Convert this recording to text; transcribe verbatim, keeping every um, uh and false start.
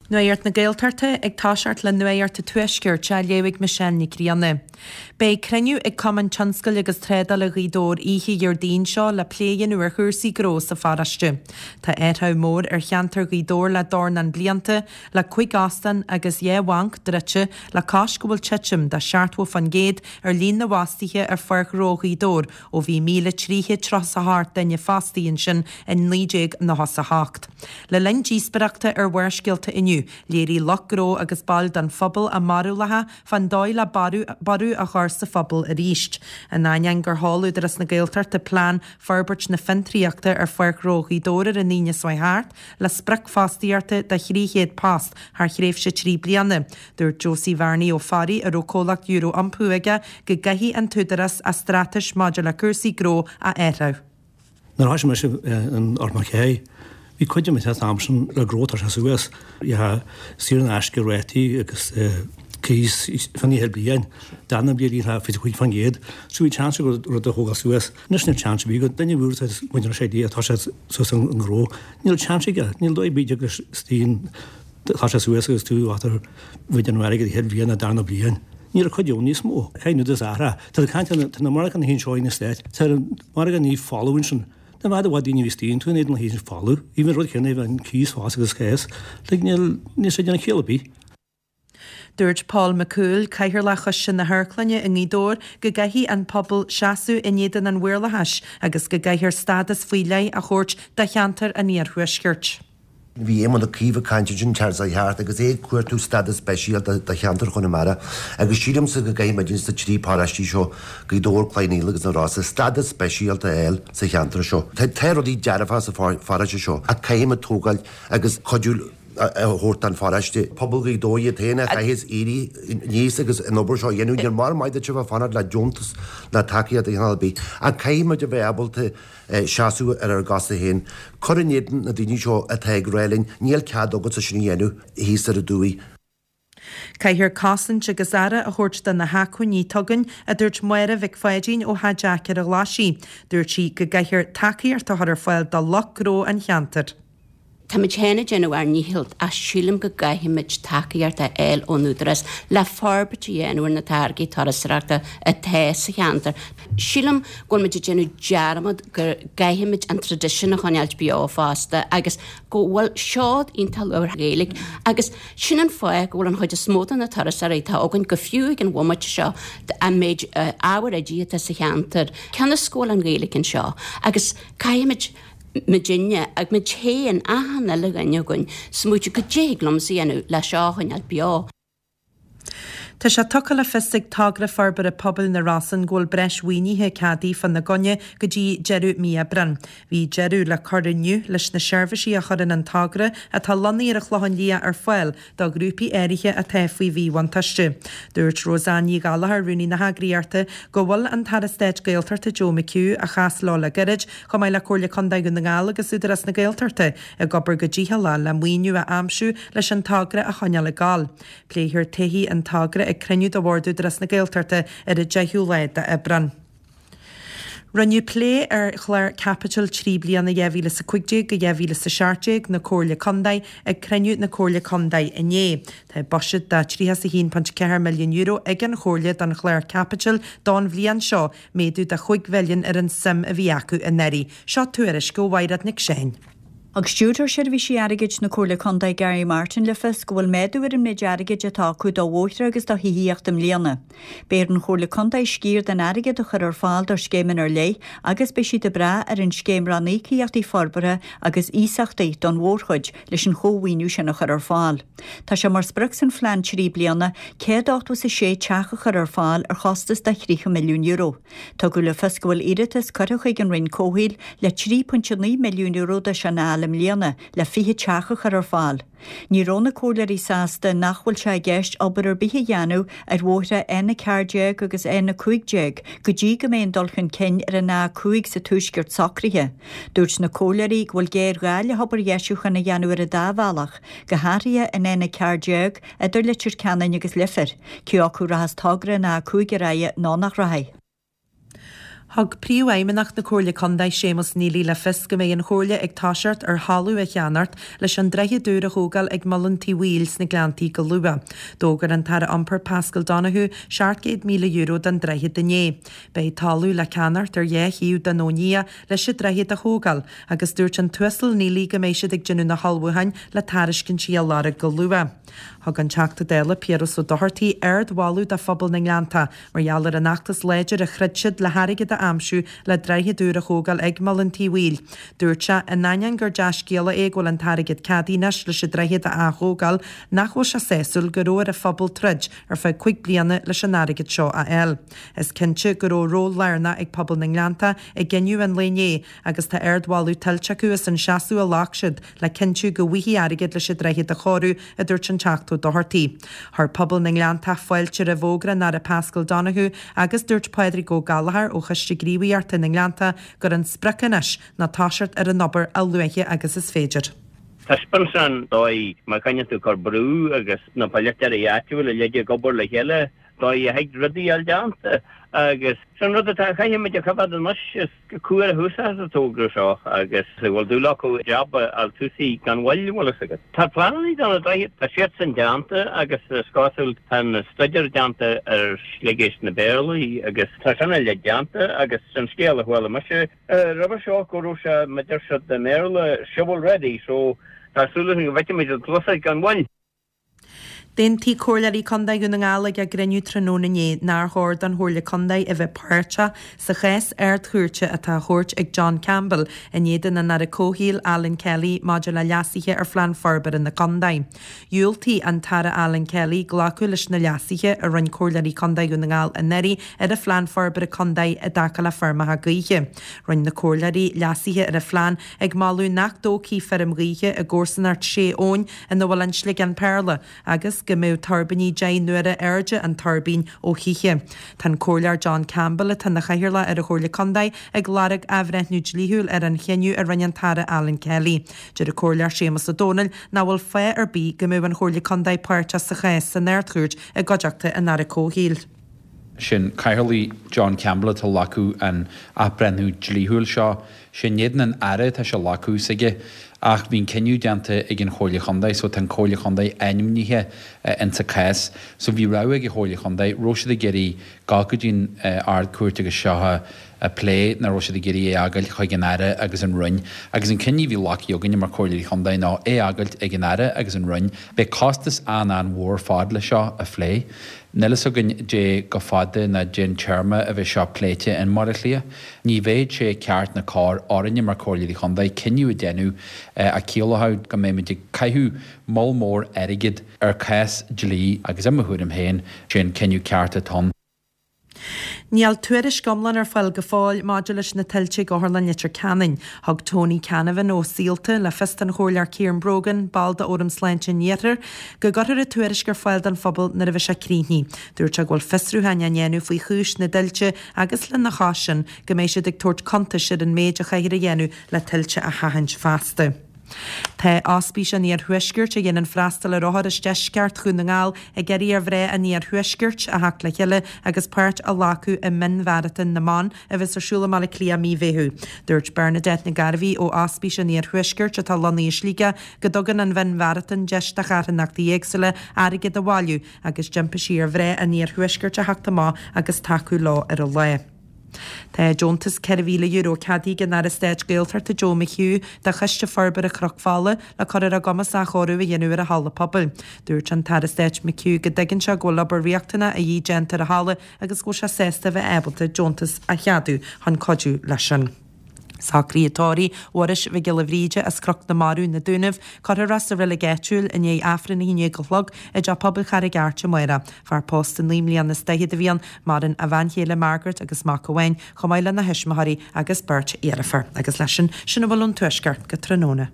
Nuacht na Gaeltachta ag toiseacht le Nuacht an Tuaiscirt á léamh ag Michelle Nic Grianna. Beidh cruinniú ag Cumann Tionscail agus Trádála Ghaoth Dobhair oíche Dhéardaoin seo le plé a dhéanamh ar chúrsaí gnó sa pharóiste. Tá athrú mór ar cheantar Ghaoth Dobhair le dornán blianta, le cúig óstán agus dhá bhanc druidte le cois go bhfuil titim de seachtó faoin gcéad ar líon na bhfostaithe ar Pháirc Ghnó Ghaoth Dobhair ó bhí míle trí chéad tríocha a hocht duine fostaithe ansin in naoi déag nócha a hocht. Le linn díospóireachta ar Bharrscéalta inniu, léirigh lucht gnó agus baill den phobal a mbarúlacha fán dóigh le borradh a chur sa phobal arís. In ainneoin gur sheol Údarás na Gaeltachta plean forbairt na fiontraíochta ar Pháirc Ghnó Ghaoth Dobhair ar an Aoine seo thart, le sprioc fostaíochta de thrí chéad post thar thréimhse trí bliana. Dúirt Josie Bhearnaí Ó Fearraigh a raibh comhlacht Euro Iompú aige go gcaithfidh an t-údarás a straitéis maidir le cúrsaí gnó a athrú. Nuair a thosaigh mise in Ard Mac Bhí cuid an am sin le gnó tá sé suas saor in aisce rátaí agus cíos fan ihe bliain darna bliain fiche cúig faoin gcéad, so bhí chance go rud a thógáil suas. Anois níl chance bhí go duine bhúr muid sé dí atá sé suas an gnó. Níl chance aige, níl dóigh bíde agus stín tá sé suas agus tú átar bhid an airgead ihe bliain a darna bliain. Níl a chuid níos mó, cé nu ahra. Tá caint na mar an hín seo na Stáit, Tá mar ní folamh sin. Na bhd bhd daoine bhí tú éad na híon folamh, i rud chéanna an cíos fás agus céas, le níl níl sé déanamh ciall ar bith. Dúirt Paul McCool, Cathaoirleach Choiste na hAmharclainne i nGaoth Dobhair go gcaithfidh an pobal seasamh in éadan an mhaorlathais agus go gcaithfear stádas faoi leith a thabhairt do cheantar an iarthuaiscirt. Bhí Éamon Ó Cuív ag caint sin Charles Hart agus é cuartú stádas speisialta do cheantar Chonamara agus sílimse go gcaithfimid sa trí paráistí seo Gaoth Dobhair Cloich Cheann Fhaola agus na Rosa stádas speisialta eile sa cheantar seo. Tá rudaí dearfa sa pharáiste seo a caithfimid tógáil agus cuidiú a thabhairt an pharáiste. Pobal Ghaoth Dobhair iad féin a chaithfidh éirí níos agus an obair seo dhéanamh níor mar maith duit a bheith fanacht le deontas ná tacaíocht a dhéanamh bith a caithfimid a bheith ábalta seasamh ar ár gcosa féin. Cur in éadan na daoine seo atá ag rá linn níl cead agat sa sin a dhéanamh thíos ar an dtuaith. Caithfear cosaint agus aire a thabhairt do na hacmhainní atá againn a dúirt Máire Mhic Pháidín ó Theach Jack ar an Ghlaisigh. Dúirt sí go gcaithfear tacaíocht a chur ar fáil do lucht gnó an cheantair. Táimid féin ag déanamh ár ndícheall ach sílim go gcaithfimid tacaíocht a fháil ón údarás le forbairt a dhéanamh ar na táirgí turasóireachta atá sa cheantar. Sílim go bhfuil muid ag déanamh dearmad go gcaithfimid an traidisiún a choinneáil beo fosta agus go bhfuil seod iontach luachmhar Gaeilge agus sin an fáth go bhfuil an chuid is mó de na turasóirí atá againn go fiú ag an bhomaite seo an méid ábhar oidí atá sa cheantar. Cionn is go bhfuil an Ghaeilge anseo agus caithfimid muidinne ag muid féin achan uile dhuine againn smaoitiú cad é thig liomsa a dhéanamh le seo a choinneáil beo. Tá sé tugtha le fios ag Togra Forbartha Pobail na Rosann go bhfuil breis mhaoinithe ceadaithe fána gcoinne go dtí deireadh mí Aibreáin. Bhí deireadh le cur inniu leis na seirbhísí a chuireann an togra atá lonnaithe ar an Chlochán Liath ar fáil do ghrúpaí áirithe atá faoi mhíbhuntáiste. Dúirt Roseanne Ní Gallchóir rúnaí na heagraíochta go bhfuil an tAire Stáit Gaeltachta Joe McHugh a chas leo le gairid chomh maith le Comhairle Contae Dhún na nGall agus Údarás na Gaeltachta ag obair go dícheallach le maoiniú a aimsiú leis an togra a choinneáil ag gabháil. Pléifear todhchaí an togra ag cruinniú de Bhord Údarás na Gaeltachta ar an deichiú lá d'Aibreán. Rinneadh plé ar chlár caipitil trí bliana dhá mhíle is a cúig déag go dhá mhíle is a seacht déag na Comhairle Contae ag cruinniú na Comhairle Contae inné. Tá buiséad de tríocha a haon ponc ceathair milliún euro ag an Chomhairle don chlár caipitil don bhliain seo, méadú de chúig mhilliún ar an suim a bhí acu anuraidh. Seo tuairisc ó Mhaighread Nic Seáin. Thug Stiúrthóir Seirbhísí Airgid na Comhairle Contae Gary Martin le fios go bhfuil méadú ar an méid airgid atá acu do bhóithre agus do thithíocht i mbliana. Beidh ar an Chomhairle Contae sciar den airgead a chur ar fáil do scéimeanna ar leith agus beidh siad ag brath ar an scéim ranníocaíochtaí forbartha agus iasachtaí don mhórchuid leis an chómhaoiniú sin a chur ar fáil. Tá sé mar sprioc san phlean trí bliana céad ochtó is a sé teach a chur ar fáil ar chostas de thríocha milliún euro. Tugadh le fios go bhfuil iarratas curtha chuig an Roinn Comhshaoil le trí pointe naoi milliún euro de sin a fháil i mbliana le fiche teach a chur ar fáil. Ní raibh na comhairleoirí sásta nach bhfuil sé i gceist obair ar bith a dhéanamh ar bhóithre N a ceathair déag agus N a cúig déag go dtí go mbeidh an dul chun cinn ar an A cúig sa tuaisceart socraithe. Dúirt na comhairleoirí go bhfuil géarghá le hobair dheisiúcháin a dhéanamh ar an dá bhealach, go háirithe an N a ceathair déag idir Leitir Ceanainn agus Leifear, cé acu rachas togra an A cúig ar aghaidh nó nach rachaidh. Thug Príomhfheidhmeannach na Comhairle Contae Séamus Neely le fios go mbeidh an Chomhairle ag toiseacht ar thalamh a cheannacht leis an droichead úr a thógáil ag Muileann Tí Bhaoill sna Gleanntaí go luath. D'fhógair an tAire Iompair Paschal Donohoe seacht gcéad míle euro don droichead inné. Beidh talamh le ceannacht ar dhá thaobh den Abhainn Liath leis an droichead a thógáil agus dúirt an tUasal Neely go mbeidh siad ag déanamh na hullmhúcháin le tairiscintí a lorg go luath. Thug an Teachta Dála Piaras Ó Dochartaigh ardmholadh do phobal na nGleanntach mar gheall ar an fheachtas láidir a throid siad le hairgead a aimsiú le droichead úr a thógáil ag Muileann Tí Bhaoill. Dúirt sé, in ainneoin gur dea-scéala é go bhfuil an t-airgead ceadaithe anois leis an droichead a ath-thógáil, nach bhfuil sé sásúil go raibh ar an phobal troid ar feadh cúig bliana leis an airgead seo a fháil. Is cinnte go raibh ról lárnach ag pobal na nGleanntach i gcinneadh an lae inné agus tá ardmholadh tuillte acu as an seasamh a ghlac siad le cinntiú go bhfaighfí airgead leis an droichead a chóiriú, a dúirt an Teachta Ó Dochartaigh. Chuir pobal na nGleanntach fáilte roimh fhógra an Aire Paschal Donohoe agus dúirt Pádraig Ó Gallchóir ó Choiste Gníomhaíochta na nGleanntach gur an sprioc anois ná toiseacht ar an obair a luaithe agus is féidir. Taispeánann sé an dóigh má choinníonn tú cur brú agus na polaiteoirí áitiúla uilig ag obair le chéile, dóigh a thig rudaí a fháil déanta agus sin rud atá caithfimid a choimhéad anois is cumhair a thús sa togra seo agus go bhfuil dúil acu jab a fháil tosaithe gan mhoill, bhfuil fhios agat. Tá pleananna do na droichid, tá siadsan déanta agus is cosúil tá an staidéar déanta ar Shliogéisc na Béarlaí agus tá sin uilig déanta agus sin scéal a chuala mise roimhe seo go raibh sé, mar deir siad i mBéarla, shovel ready so tá súil againn go bhfeicfimid an tosaigh gan mhoill. D'aontaigh Comhairleoirí Contae Dhún na nGall ag a gcruinniú tráthnóna inné nár chóir don Chomhairle Contae a bheith páirteach sa chás Ard-Chúirte atá á thabhairt ag John Campbell in éadan an Aire Comhshaoil Alan Kelly maidir le leasuithe ar Phlean Forbartha na Contae. Dhiúltaigh an tAire Alan Kelly glacadh leis na leasuithe a rinne Comhairleoirí Contae Dhún na nGall anuraidh ar an Phlean Forbartha Contae i dtaca le feirmeacha gaoithe. Rinne na Comhairleoirí leasuithe ar an phlean ag moladh nach dtógfaí feirm ghaoithe i gcomharsanacht Sé Abhainn ina bhfuil an Sliogán Péarla agus go mbeadh tuirbíní deich n-uaire airde an tuirbín ó thithe. Tá an Comhairleoir John Campbell, atá ina chathaoirleach ar an Chomhairle Contae, ag lorg athbhreithniú dlíthiúil ar an chinneadh a rinne an tAire Alan Kelly. Deir an Comhairleoir Séamus Ó Domhnaill nach bhfuil fáth ar bith go mbeadh an Chomhairle Contae páirteach sa chás san Ard-Chúirt i gcuideachta an Aire Comhshaoil. Sin Cathaoirleach John Campbell atá ag glacadh an athbhreithniú dlíthiúil seo. Sé in éadan an Aire atá sé ag glacadh s'aige ach bhí an cinneadh déanta ag an Chomhairle Chontae so tá an Comhairle Chontae ainmnithe insa cás. So bhí rogha ag an Chomhairle Chontae, raibh siad ag iarraidh gabháil go dtí an Ard-Chúirt agus seo a a phlé nó raibh siad ag iarraidh é a fhágáil chuig an Aire agus an Roinn. Agus an cinneadh a bhí glactha againne mar Chomhairleoirí Chontae ná é a fhágáilt ag an Aire agus an Roinn. Beidh costas an-an-mhór ar fad le seo a phlé. Níl fhios againn dé chomh fada ná dén téarma a bheidh seo pléite in mBaile Átha Cliath. Ní bheadh sé ceart ná cóir orainne mar Chomhairleoirí Chontae cinneadh a dhéanamh a chiallódh go mbeimid ag caitheamh moll mór airgid ar chás dlí agus i mo thuairim féin, sé an cinneadh ceart atá ann. Níl tuairisc iomlán ar fáil go fóill maidir leis na tuilte ag Otharlann Leitir Ceanainn. Thug Tony Canavan ó Saolta le fios don Chomhairleoir Ciaran Brogan, ball de Fhóram Sláinte an Iarthair, go gcuirfear an tuairisc ar fáil don phobal nuair a bheidh sé críochnaithe. Dúirt sé go bhfuil fiosrúcháin á ndéanamh faoi chúis na dtuilte agus lena chois sin go mbeidh siad ag tabhairt cuntais ar an méid a chaithfear a dhéanamh le tuilte a sheachaint feasta. Tá Ospís an Iarthuaiscirt, a dhéanann freastal ar othair as deisceart Dhún na nGall, ag iarraidh ar mhná an Iarthuaiscirt a theacht le chéile agus páirt a ghlacadh i Mionmharatón na mBan a bheas ar siúl i mBaile Átha Cliath mí Mheithimh. Dúirt Bernadette Nic Gairbhí ó Ospís an Iarthuaiscirt, atá lonnaithe i Sligeach, go dtugann an Mhionmharatón deis do charthanachtaí éagsúla airgead a bhailiú agus d'impigh sí ar mhná an Iarthuaiscirt a theacht amach agus tacú leo ar an lá. Tá deontas ceithre mhíle euro ceadaithe ag an Aire Stáit Gaeltachta Joe McHugh do Choiste Forbartha Chnoc Fola le cur ar a gcumas athchóiriú a dhéanamh ar a halla pobail. Dúirt an tAire Stáit McHugh go dtuigeann sé go bhfuil obair riachtanach a dhíth déanta ar an halla agus go bhfuil sé sásta a bheith ábalta deontas a cheadú chun cuidiú leis sin. Socruithe tórraimh Mhuiris Mhic Giolla Bhríde as Cnoc na Marbh, Na Dúnaibh, cuirfear é sa reilig áitiúil i ndiaidh Aifreann a haon déag a chlog i dTeach Pobail Charraig Airt amárach. Fear pósta naoi mbliana is daichead a bhí ann, maireann a bhean chéile Margaret agus mac amháin, chomh maith lena thuismitheoirí agus beirt dheirfiúr. Agus leis sin, sin a bhfuil ón Tuaisceart go tráthnóna.